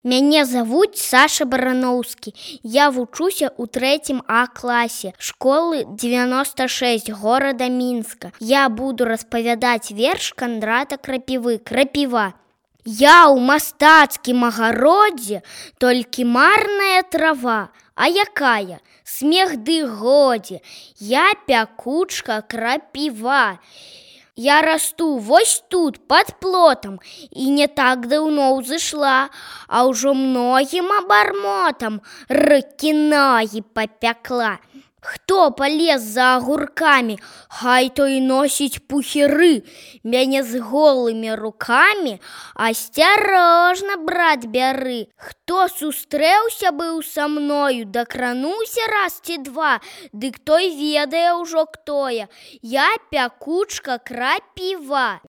Мяне завуць Саша Барановскі. Я вучуся ў 3 А класе школы 96 горада Мінска. Я буду распавядаць верш Кандрата Крапівы «Крапіва». Я ў мастацкім агародзе, толькі марная трава. А якая? Смех ды годзе. Я пякучка крапіва. Я расту вось тут, пад плотам, і не так даўно ўзышла, а ўжо многім абармотам рыкі-ногі папякла. Хто палез за агуркамі, хай той носіць пухіры. Мяне з голымі рукамі асцярожна, брат, бяры. Хто сустрэўся быў са мною, дакрануўся раз ці два, дык той ведае ўжо хто я. Я пякучка крапіва.